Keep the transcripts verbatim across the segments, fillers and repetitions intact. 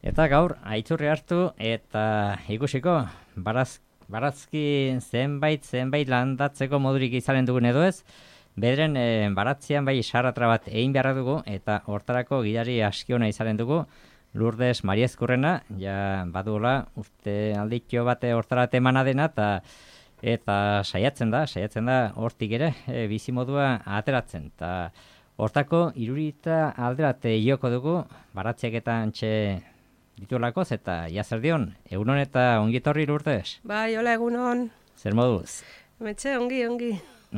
Eta gaur, aitzurri hartu eta ikusiko, baraz, barazki zenbait, zenbait landatzeko modurik izanen dugun edo ez, bederen e, baratzean bai sarratra bat egin beharra dugu, eta hortarako gidari askiona izanen dugu, Lourdes Mariezkurrena, ja badula, uste alditxo bate hortara temana dena, eta eta saiatzen da, saiatzen da hortik ere, e, bizimodua ateratzen, eta hortako irurita alderate joko dugu, baratziak eta antxe ditulakoz, eta jazer dion, egunon eta ongitorri Lourdes. Bai, hola egunon. Zer moduz? Metxe, ongi, ongi.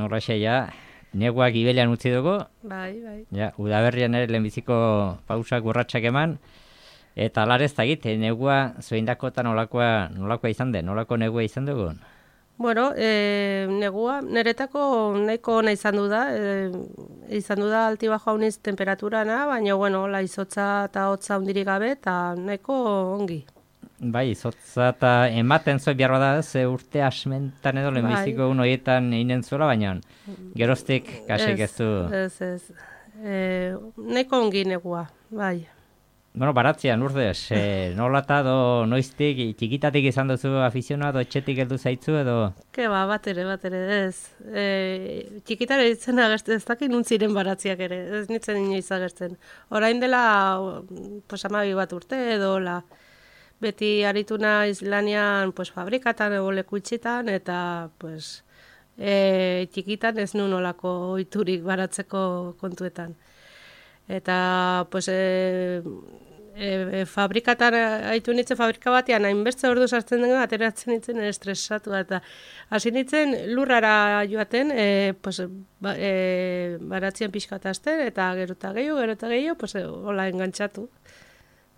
Norraxe, ja, neguak ibelean utzi dugu. Bai, bai. Ja, udaberrian ere lehenbiziko pausak urratsak eman, eta alarez tagit, negua zueindakotan nolakoa, nolakoa izan den, nolako negua izan dugun? Bueno, e, negua, niretako nahiko ona izan du da, e, izan du da alti bajo hauniz temperaturana, baina, bueno, la izotza eta hotza hundirik gabe, eta nahiko ongi. Bai, izotza eta ematen zoi behar bada, ze urte asmentan edo lehenbiziko bai. Un horietan einen zuela, baina geroztik kasik ez du. Ez, ez, e, nahiko ongi negua, bai. Bueno, baratzean, Lourdes, eh, nola eta do noiztik, txikitatik izan duzu afizionatu, etxetik heldu zaitzu edo? Ke ba, bat ere, bat ere, ez. E, txikitare ditzen agertzen, ez dakit nuntziren baratziak ere, ez nintzen inoiz agertzen. Orain dela, pues, amabi bat urte edo, la, beti aritu naiz lanean, pues, fabrikatan ego leku itxitan, eta, pues, e, txikitan ez nun olako ohiturik baratzeko kontuetan. Eta, pues, e, e, fabrikatan haitu nintzen fabrika batean, hainbertze ordu sartzen den ateratzen nintzen estresatu. Eta hasi nintzen lurrara joaten, e, pues, ba, e, baratzien pixkatazten, eta gero eta gehiago, gero eta gehiago, pues, hola engantzatu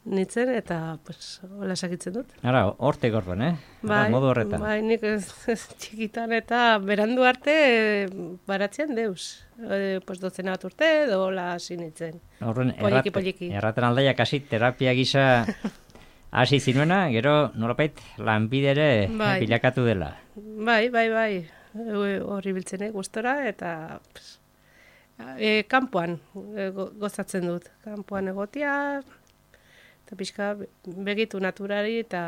nintzen, eta pues, hola sakitzen dut. Ara, hortik orduan, eh? Bai, modu horretan. Bai, nik ez, ez txikitan eta berandu arte e, baratzen deus. E, pues, dozena bat urte edo hola hasi nintzen. Horren, poliki, poliki. Erraten aldaiak hasi terapia gisa hasi zinuena, gero nolapait lanbidere bai. Bilakatu dela. Bai, bai, bai. Horri biltzen, eh, gustora, eta pues, e, kanpoan e, gozatzen dut. Kanpoan egotia, eta pixka begitu naturari, eta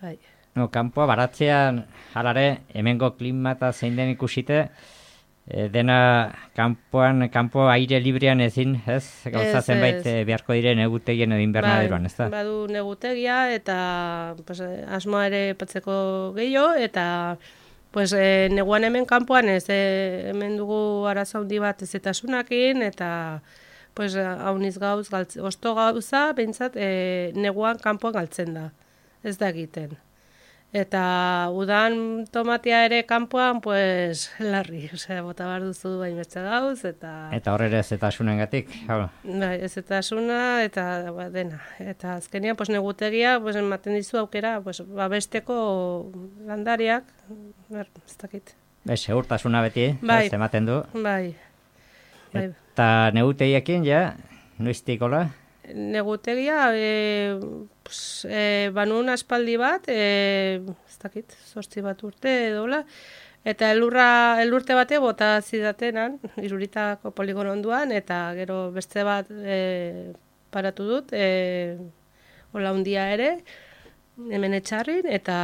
bai. No, kanpoa baratzean halare hemengo klima eta zein den ikusite, e, dena kanpoan, kanpo aire librean ezin, ez? Gauza zenbait e, beharko dire negutegien edo invernaderoan, ez da? Bai, badu negutegia, eta pues, asmoa ere patzeko gehiago, eta pues, e, neguan hemen kanpoan ez, e, hemen dugu arazo handi bat ezetasunakin, eta pues, hauniz gauz, galtz, osto gauza, behintzat, e, neguan kanpoan galtzen da, ez da egiten. Eta udan tomatia ere kanpoan, pues, larri, osea, bota behar duzu hainbeste gauz, eta... Eta hor ere ezetasunengatik, hau? Bai, ezetasuna, eta ba, dena. Eta azkenean, pues, negutegia, pues, ematen dizu aukera, pues, babesteko landariak, ber, ez dakit. Be, segurtasuna beti, bai. Ez ematen du. Bai, bai. Eta negutegiekin, ja, noiztik hola? Negutegia, e, pues, e, banun aspaldi bat, e, ez dakit, zortzi bat urte edola, eta elurra, elurte bate bota zidatenan, Iruritako poligono onduan, eta gero beste bat e, paratu dut, e, hola hundia ere, hemen etxarrin, eta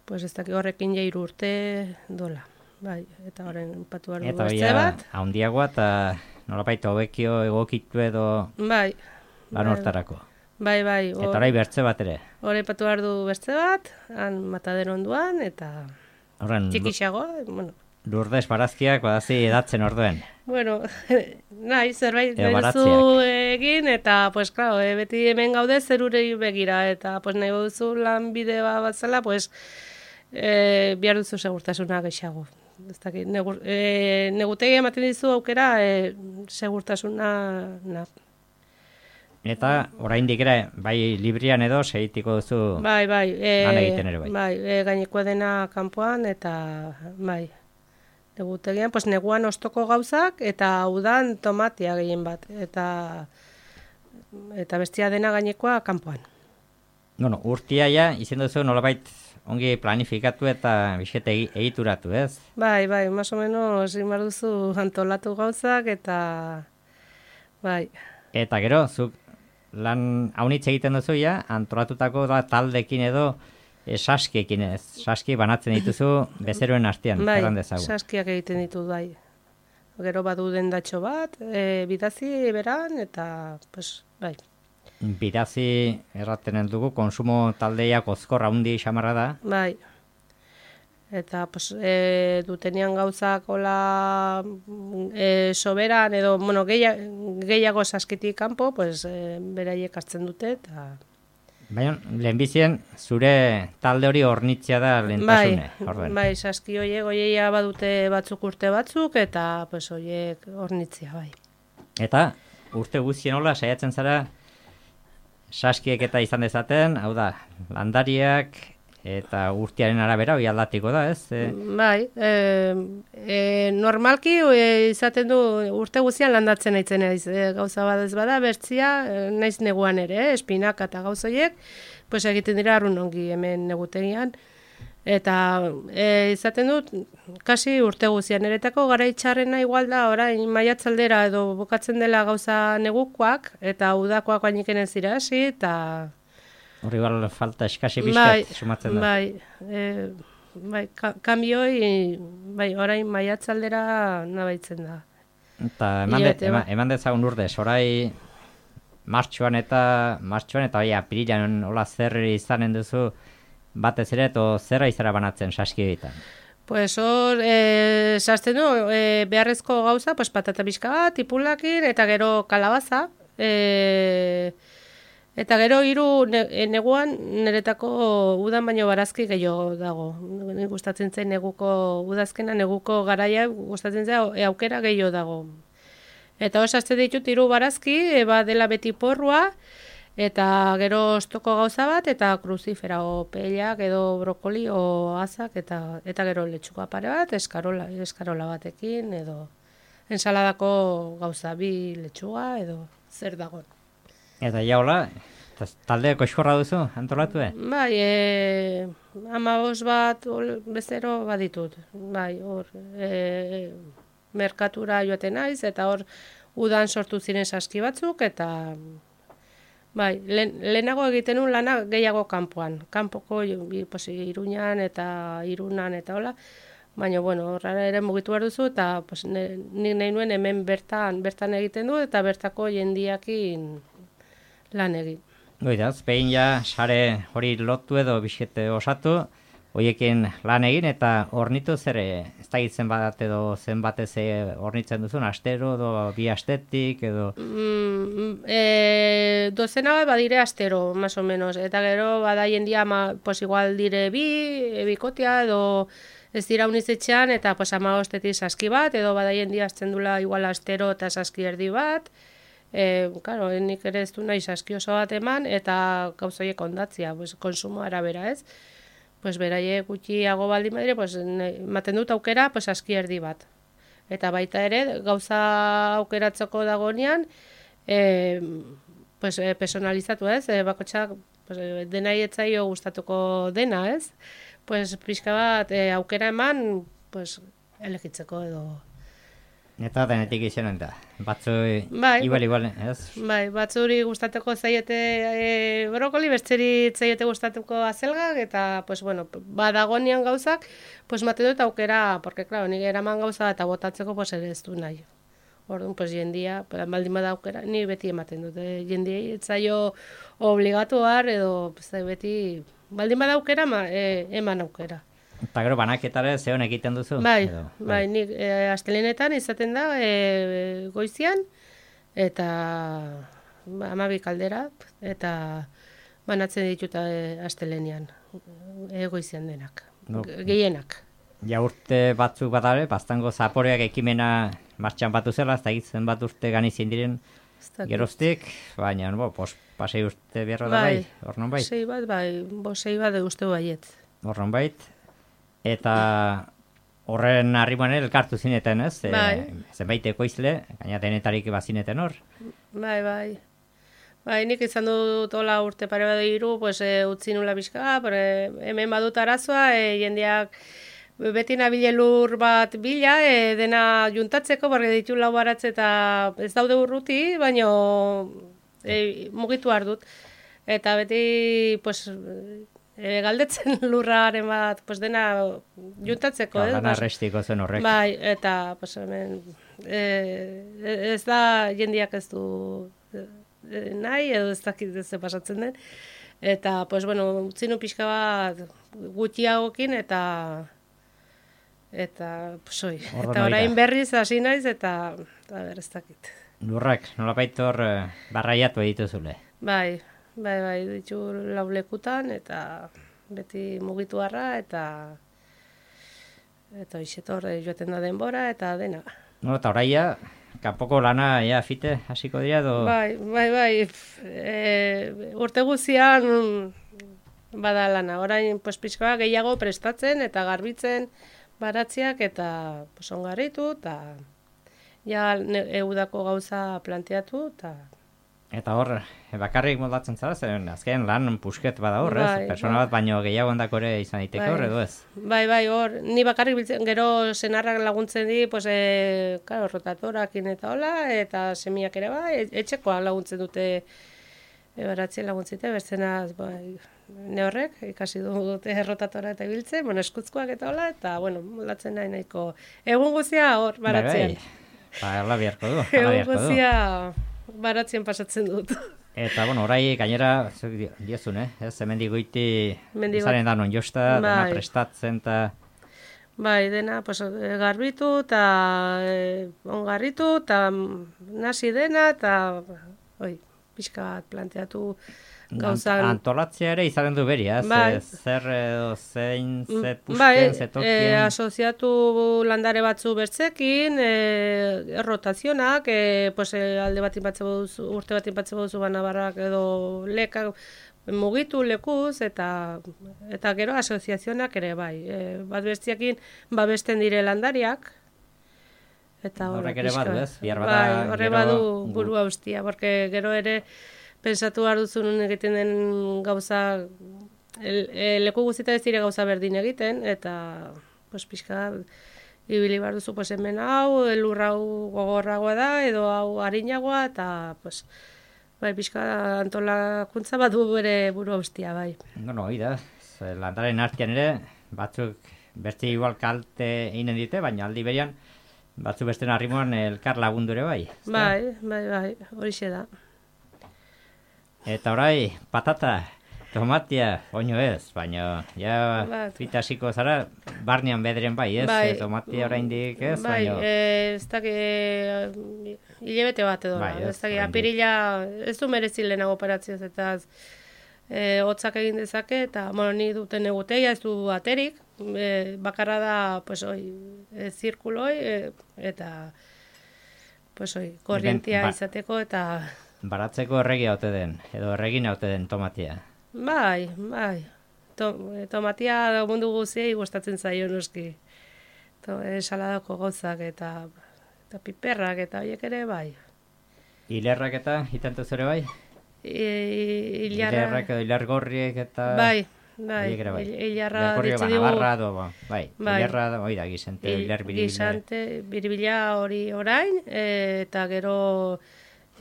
pues, ez dakit horrekin ja hiru urte dola. Bai, eta horren patu behar dugu beste bat. Eta haundiagoa eta nolapait hobekio egokitu edo bai, lan hortarako. Bai, bai. Eta orai bertze bat ere. Horre patu behar du beste bat, han matadero onduan, eta horren, txikixagoa. Bueno. Lourdes barazkiak badazi edatzen orduen. Bueno, nahi, zerbait berezu egin, eta, pues, claro, e, beti hemen gaude zerurei begira, eta, pues, nahi duzu lan bidea bat zela, pues, e, bihar duzu segurtasuna gehiago. Negur, e, negutegi ematen dizu aukera e, segurtasuna na. Eta oraindik ere bai librian edo segitiko duzu bai, bai, e, lan egiten ere bai. Bai, e, gainekoa dena kanpoan eta bai. Negutegian, pues neguan ostoko gauzak eta udan tomatia gehien bat eta eta bestia dena gainekoa kanpoan. Bueno, urtia ja izen duzu nolabait ongi planifikatu eta bizkete egituratu, ez? Bai, bai, más o menos imar duzu antolatu gauzak eta bai. Eta gero, zuk lan haunitz egiten duzu ja, antolatutako da taldekin edo e, saskiekin ez. Saski banatzen dituzu bezeroen artean, bai, erran dezagun. saskiak egiten ditut, bai. Gero badu dendatxo bat, e, bidazi beran, eta, pues, bai. Bidazi erraten dugu, konsumo taldeiak ozkor haundi xamarra da. Bai. Eta, pues, e, dutenian gauzak hola e, soberan, edo, bueno, gehiago, gehiago saskitik kanpo, pues, e, beraiek hartzen dute, eta... Baina, lehenbizien, zure talde hori hornitzea da lehentasune. Bai, bai, saski horiek, oieia badute batzuk urte batzuk, eta, pues, horiek hornitzea, bai. Eta, urte guztien hola, saiatzen zara, saskiek eta izan dezaten, hau da, landariak eta urtearen arabera hori aldatiko da, ez? E... Bai, e, e, normalki e, izaten du urte guztian landatzen aitzen naiz, e, gauza bat ez bada, bertzia, e, naiz neguan ere, eh, espinaka eta gauzoiek, pues egiten dira arrun ongi hemen negutegian, eta e, izaten dut, kasi urte guztian, eretako garaitxarrena igual da, orain maiatzaldera edo bukatzen dela gauza negukoak, eta udakoak bainiken ez dira hasi, eta... Horri igual falta eskasi bizkat sumatzen da. Bai, e, bai, ka, kambioi, bai, orain maiatzaldera nabaitzen da. Eta eman, de, eman, eman dezagun urdez, orai martxuan eta martxuan eta bai, apirilan hola zer izanen duzu batez ere, eto zerra izara banatzen saski egiten? Pues hor, e, sazten du, e, beharrezko gauza, pues patata pixka bat, tipulakin, eta gero kalabaza, e, eta gero hiru ne, neguan niretako udan baino barazki gehiago dago. Ni gustatzen zen neguko udazkena, neguko garaia gustatzen zen e, aukera gehiago dago. Eta hor sazten ditut hiru barazki, eba dela beti porrua, eta gero ostoko gauza bat, eta kruzifera, o pelak, edo brokoli, o azak, eta, eta gero letxuka pare bat, eskarola, eskarola batekin, edo ensaladako gauza bi letxuga, edo zer dago. Eta ja hola, taldeako eskorra duzu, antolatu, eh? Bai, e, amabos bat ol, bezero baditut. Bai, hor, e, merkatura joaten naiz, eta hor udan sortu ziren saski batzuk, eta bai, lehen, lehenago egiten nuen lana gehiago kanpoan. Kanpoko Iruñan eta Irunan eta hola, baina, bueno, horra ere mugitu behar duzu, eta pues, nik nahi nuen hemen bertan, bertan egiten du, eta bertako jendiakin lan egin. Goidaz, behin ja sare hori lotu edo biskete osatu, horiekin lan egin eta hornitu zere, ez da gitzen bat edo zenbatez hornitzen duzun, astero edo bi astetik edo... Mm, e, dozena bat badire astero, más o menos, eta gero badaien dia, ma, pues igual dire bi, e, bikotia edo ez dira unizetxean, eta pues ama ostetik saski bat, edo badaien dia azten dula igual astero eta saski erdi bat. E, claro, nik ere ez du nahi saski oso bat eman, eta gauzoiek ondatzia, pues, konsumo arabera, ez? Pues beraie gutxiago baldin badire, pues, ematen dut aukera, pues, saski erdi bat. Eta baita ere, gauza aukeratzeko dagonean, e, pues, e, personalizatu, ez? E, bakotxak, pues, dena etzaio gustatuko dena, ez? Pues, pixka bat, e, aukera eman, pues, elegitzeko edo... Eta denetik izanen da, batzu bai, igual, igual, ez? Bai, batzuri gustatuko zaiete e, brokoli, bertzeri zaiete gustatuko azelgak, eta, pues, bueno, badagonian gauzak, pues, maten dut aukera, porque, claro, nik eraman gauza eta botatzeko, pues, ere ez du nahi. Orduan, pues, jendia, baldin bada aukera, ni beti ematen dut, eh? Jendiei etzaio obligatu har, edo, pues, beti, baldin bada aukera, ma, e, eman aukera. Eta gero banaketare zeon egiten duzu? Bai, edo, bai, bai, nik e, astelenetan izaten da e, goizian, eta ba, amabi kaldera, eta banatzen ditut e, astelenian, e, goizian denak, no. Gehienak. Ja urte batzuk badare, baztango zaporeak ekimena martxan batu zela, ez da egitzen bat urte ganizien diren geroztik, baina, bo, pos, pasei urte beharra da bai, hornon bai? Sei bat, bai, bo, sei bat uste baiet. Hornon bait. Eta horren harriman elkartu zineten, ez? Bai. E, zenbait ekoizle, gaina denetarik bazineten hor. Bai, bai. Bai, nik izan dut hola urte pare bat hiru, pues, e, utzi nula bizka, pero, e, hemen badut arazoa, e, jendeak beti nabile lur bat bila, e, dena juntatzeko, barri ditu lau baratze eta ez daude urruti, baino e, mugitu behar dut. Eta beti, pues, e, galdetzen lurraren bat, pues, dena juntatzeko, eh? Lana Bas- arrestiko zen horrek. Bai, eta, pues, hemen, e, ez da jendiak ez du e, nahi, edo ez dakit ze pasatzen den. Eta, pues, bueno, utzinu pixka bat gutxiagokin, eta, eta, pues, oi, Orduan eta orain hori da. berriz hasi naiz, eta, eta ber, ez dakit. Lurrak, nolapait hor eh, barraiatu dituzule. Bai, bai, bai, ditu lau lekutan, eta beti mugitu harra, eta eta hoixetor joaten da denbora, eta dena. No, eta oraia, kanpoko lana ja fite hasiko dira edo... Bai, bai, bai, pf, e, urte guzian bada lana. Orain, pues, pixka bat gehiago prestatzen, eta garbitzen baratziak, eta pues, ongarritu, eta ja ne- eudako gauza planteatu, eta Eta hor, bakarrik moldatzen zara, zen azken lan pusket bada hor, ez? Bai, Persona bai. bat baino gehiago ondako ere izan daiteke Bai. hor, edo ez? Bai, bai, hor, ni bakarrik biltzen, gero senarrak laguntzen di, pues, e, claro, rotatorakin eta hola, eta semiak ere bai, e- etxekoa laguntzen dute, e, baratzen laguntzite, berzenaz, bai, ne horrek, ikasi dute rotatora eta ibiltzen, bueno, eskutzkoak eta hola, eta, bueno, moldatzen nahi nahiko. Egun guzia hor, baratzean. Bai, bai. Ba, hala beharko du, hala Egun beharko du. guzia baratzen pasatzen dut. Eta, bueno, orai gainera, zuk dio- diozun, eh? Ez, hemendik goiti Hemendik zaren da non josta, dena Bai. prestatzen, eta... Bai, dena, pues, e, garbitu, eta e, ongarritu, eta nasi dena, eta, oi, pixka bat planteatu gauzan. Antolatzea ere izaten du beria, ez? Bai. Ze- zer edo zein, ze pusken, Bai, ze e, tokien... asoziatu landare batzu bertzekin, e, rotazionak, e, pues, e, alde bat inpatze boduzu, urte bat inpatze boduzu banabarrak edo lekak mugitu lekuz, eta eta gero asoziazionak ere bai. E, bat bertziakin babesten dire landariak, eta hor, Horrek ere pixka badu, bat. ez? Bihar bada Bai, horre gero badu gu- burua ustia, porque gero ere pensatu behar duzu nun egiten den gauza, el, e, leku guztietan ez dire gauza berdin egiten, eta pues, pixka ibili behar duzu, pues, hemen hau, elur hau gogorragoa da, edo hau harinagoa, eta pues, bai, pixka antolakuntza bat du bere burua ustia, bai. No, no, hori da. Ze landaren artean ere, batzuk beste igual kalte eginen dite, baina aldi berian, batzuk beste arrimoan elkar lagundu ere bai. ezta? Bai, bai, bai, horixe da. Eta orai, patata, tomatia, oino ez, baina ja Bat. fita hasiko zara, barnean bederen bai, ez? Bai. E, tomatia oraindik ez, Bai, baina... e, ez daki, e, hilabete bat edo, Bai, da, ez, ez daki, oraindik. apirila, ez du merezi lehenago operatzioz, eta e, hotzak egin dezake, eta, bueno, ni duten eguteia, ez du aterik, e, bakarra da, pues, oi, e, zirkuloi, e, eta, pues, oi, korrientia ba- izateko, eta, Baratzeko erregia ote den, edo erregin ote den tomatia. bai, bai, to, e, tomatia da mundu guziei gustatzen zaio noski, to, ensaladako gauzak, eta, eta piperrak, eta horiek ere, bai. Hilerrak eta hitantu zure bai? I, ilarra, Hilerrak edo hilergorriek eta... bai, bai, horiek ere bai. il- ilarra Hilergorri ditzi ba, digu, nabarra edo, ba, bai, Bai. hilerra da, hori da, gizente, il- hiler biribile. gizante, biribila hori orain, e, eta gero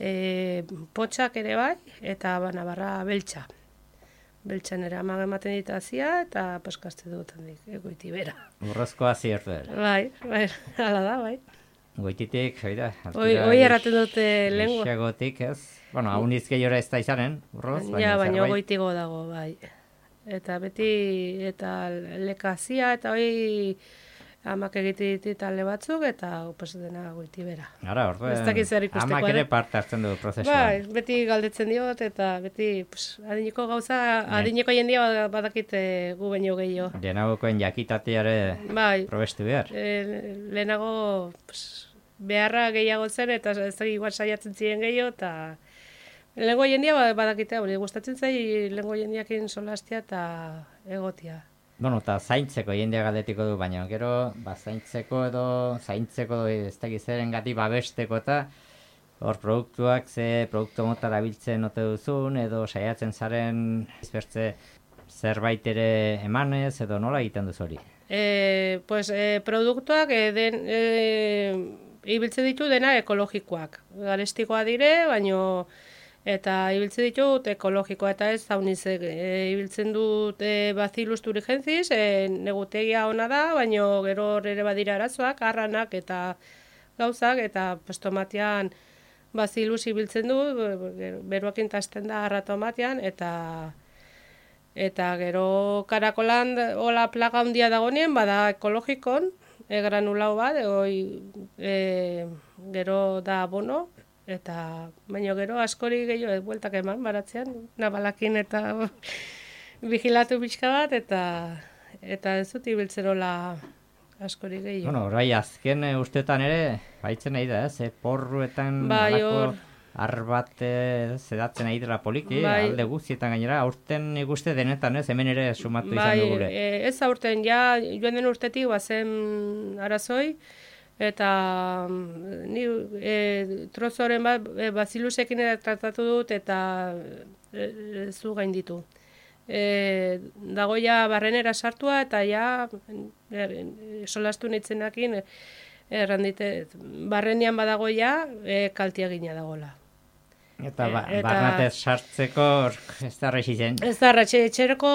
e, potxak ere bai, eta banabarra beltza. Beltzan ere ama ematen ditazia, eta paskazte dut handik, egoiti bera. Urrozkoa ziertu ere. Bai, bai, hala da, bai. Goititik, hori da. Hoi, hoi erraten dute lengua. Lengua. ez? Bueno, hau nizkeiora ez da izanen, urroz, baina Ja, baina zerbait. goitigo dago, bai. Eta beti, eta lekazia, eta hoi amak egite ditu talde batzuk, eta pues, dena goiti bera. Ara, orduan, Ez dakit zer ikusteko amak ere ere. parte hartzen du prozesuan. Bai, beti galdetzen diot, eta beti pues, adineko gauza, Bai. adineko jendia bad- badakite gu baino gehiago. Lehenagokoen jakitateare Bai, probestu behar. e, lehenago pues, beharra gehiago zen, eta ez da igual saiatzen ziren gehiago, eta lehengo jendia ba- badakite, hori gustatzen zai lehengo jendiakin solastia eta egotia. Bueno, eta zaintzeko jendea galdetiko du, baina gero, ba, zaintzeko edo, zaintzeko ez dakiz zeren gati babesteko eta hor produktuak, ze produktu mota erabiltzen ote duzun, edo saiatzen zaren izbertze zerbait ere emanez, edo nola egiten duzu hori. E, pues, e, produktuak e, den, e, ibiltzen ditu dena ekologikoak. Garestikoa dire, baino Eta ibiltzen ditut ekologikoa eta ez zauniz, e, ibiltzen dut e, Bacillus thuringiensis, e, negutegia ona da, baina gero ere badira arazoak, arranak eta gauzak, eta pues, tomatean Bacillus ibiltzen du, beruakin tasten da arra tomatean, eta eta gero karakolan hola plaga handia dagoenien, bada ekologikon, e, granulau bat, oi, e, gero da abono, eta baino gero askori gehiago bueltak eman baratzean, nabalakin eta vigilatu pixka bat, eta eta ez dut ibiltzen hola askori gehiago. Bueno, orai azken e, ustetan ere, baitzen nahi da, ez? E, porruetan bai, alako arbat zedatzen nahi dela poliki, bai, alde guztietan gainera, aurten ikuste denetan, ez? Hemen ere sumatu bai, izan dugule. E, ez aurten, ja joan den urtetik bazen arazoi, eta ni e, trozoren bat e, Bacillusekin tratatu dut eta e, e, zu gainditu. E, dago ja barrenera sartua eta ja e, solastu nitzenakin errandite barrenean badago ja e, kaltiagina dagola. Eta, ba, eta barnatez sartzeko ez da rexi zen. Ez da, ratxe, etxereko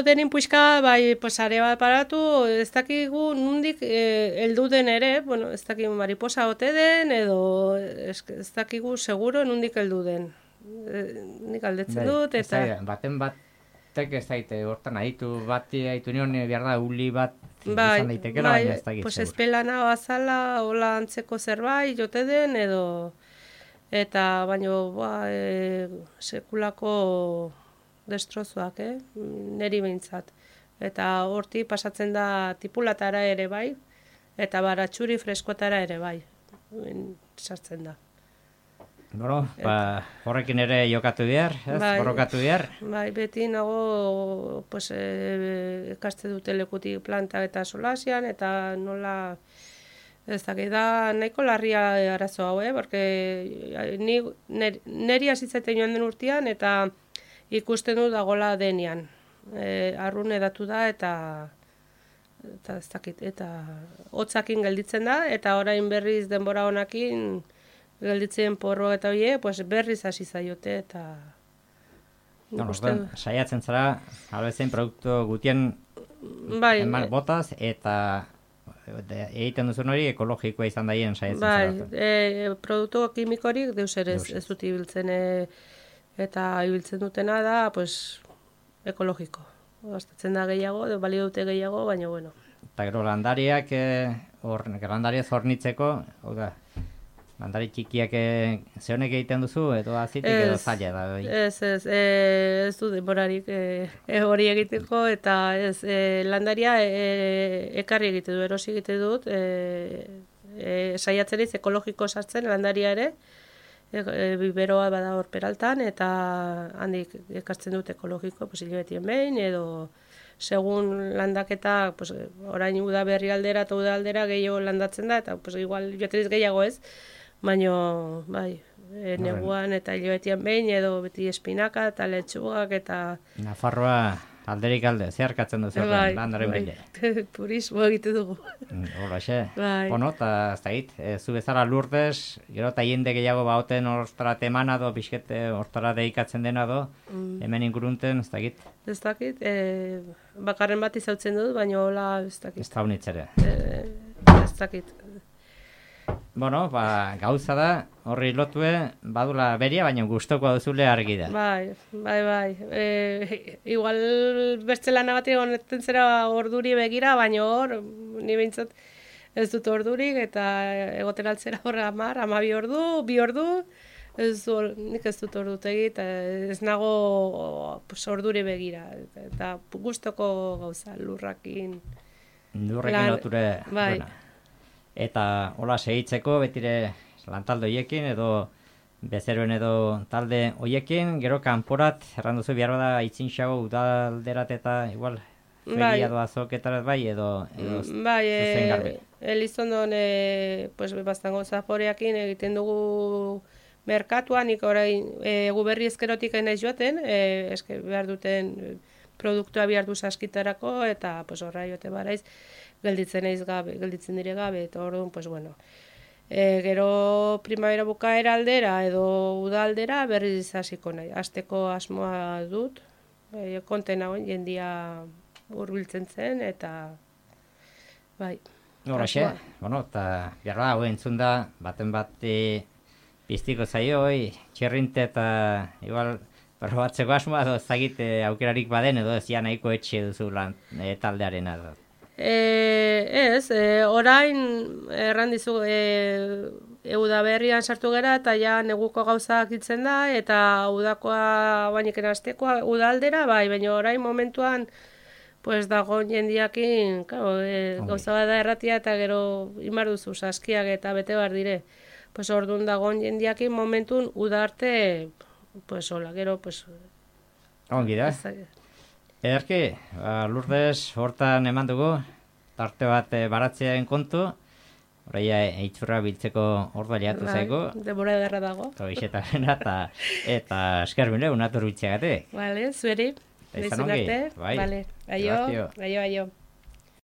denin puixka, bai, posare bat paratu, ez dakigu nundik e, eldu den ere, bueno, ez dakigu mariposa ote den, edo ez, ez dakigu seguro nundik eldu den. E, nik aldetzen Bai, dut, eta... Ez da, baten batek ez daite, hortan aditu bati aditu nion, behar da, uli bat bai, izan daitekela, bai, baina ez dakit pues seguro. espelana bazala, hola antzeko zerbait jote den, edo... Eta baino ba, e, sekulako destrozoak, eh? Neri behintzat. Eta horti pasatzen da tipulatara ere bai, eta baratxuri freskotara ere bai, sartzen da. Bueno, ba, horrekin ere jokatu behar, ez? Bai, borrokatu behar. Bai, beti nago pues, e, ekaste dute lekutik planta eta solasian, eta nola... Ez dakit da nahiko larria arazo hau, eh? Porque ni, neri hasitzaten joan den urtean eta ikusten du dagola denean. E, arrun edatu da eta eta ez dakit, eta hotzakin gelditzen da, eta orain berriz denbora honakin gelditzen porro eta hoe, pues berriz hasi zaiote eta Bueno, ikusten... Saiatzen zara, albezen produktu gutien bai, eman botaz eta egiten duzun hori ekologikoa izan daien saiatzen bai, zara. E, produktu kimikorik deus ere ez, ez dut ibiltzen e, eta ibiltzen dutena da pues, ekologiko. Gastatzen da gehiago, balio dute gehiago, baina bueno. Eta gero landariak, hor, landariaz hornitzeko, hau da, landari txikiak ze honek egiten duzu, edo azitik edo zaila da. Bai. Ez, ez, e, ez du denborarik e, e, hori egiteko, eta ez, e, landaria e, ekarri egite du, erosi egite dut, e, e, saiatzen ez ekologiko sartzen landaria ere, e, e, biberoa bada hor peraltan, eta handik ekartzen dut ekologiko, pues, hilabetien behin, edo segun landaketa, pues, orain uda berri aldera eta uda aldera gehiago landatzen da, eta pues, igual joateriz gehiago ez, baina, bai, e, neguan eta hilabetian behin, edo beti espinaka eta letxugak eta... Nafarroa alderik alde, zeharkatzen duzu bai, landaren bai. bile. Turismo egite dugu. Hola, xe. Bai. Bueno, eta ez da hit, e, zu bezala Lourdes, gero eta jende gehiago bauten hortara temana do, bizkete hortara deikatzen dena do, mm. hemen ingurunten, ez da hit. Ez dakit, e, bakarren bat izautzen dut, baina hola ez dakit. Ez da unitzere. E, ez dakit. Bueno, ba, gauza da, horri lotue, badula beria, baina gustoko duzule argi da. Bai, bai, bai. E, igual beste lana bat honetzen zera orduri begira, baina hor, ni behintzat ez dut ordurik, eta egoten altzera hor amar, amabi ordu, bi ordu, ez du, nik ez dut ordu egit, ez nago pues, orduri begira, eta, eta gustoko gauza, lurrakin. Lurrekin loture, bai. Buena. Eta hola segitzeko betire lantalde hoiekin edo bezeroen edo talde hoiekin, gero kanporat, erranduzu behar bada itzinxago udalderat eta igual feria doa zoketarat bai edo, edo bai, zuzen garbi. E, Elizondon e, pues, bastango zaporeakin egiten dugu merkatuan, nik orain e, guberri ezkerotik enaiz joaten, e, eske behar duten produktua behar du saskitarako eta pues, horra joate baraiz, gelditzen naiz gabe, gelditzen dire gabe, eta orduan, pues bueno, E, gero primavera bukaera aldera edo uda aldera berriz hasiko nahi. Asteko asmoa dut, e, konten hauen jendia hurbiltzen zen, eta bai. Horaxe, bueno, eta behar hau entzun da, baten bat e, piztiko zaio, oi, txerrinte eta igual probatzeko asmoa, edo zagite aukerarik baden, edo ez ja nahiko etxe duzu lan e, taldearen edo. E, ez, e, orain erran dizu e, euda berrian sartu gera eta ja neguko gauzak hitzen da eta udakoa bainiken astekoa uda aldera, bai, baina orain momentuan pues dago jendiakin, claro, e, gauza bada erratia eta gero imar duzu saskiak eta bete bar dire. Pues orduan dago jendiakin momentun uda arte, pues hola, gero, pues... Ongi da. Ederki, ba, Lourdes hortan eman dugu, tarte bat e, baratzearen kontu, oraia eitzurra biltzeko ordua jatu zaigu. Denbora ederra dago. Eta eta esker bine, unatur biltzeagatik. Vale, zueri. Eta izan ongi, bai. Vale, aio, aio, aio.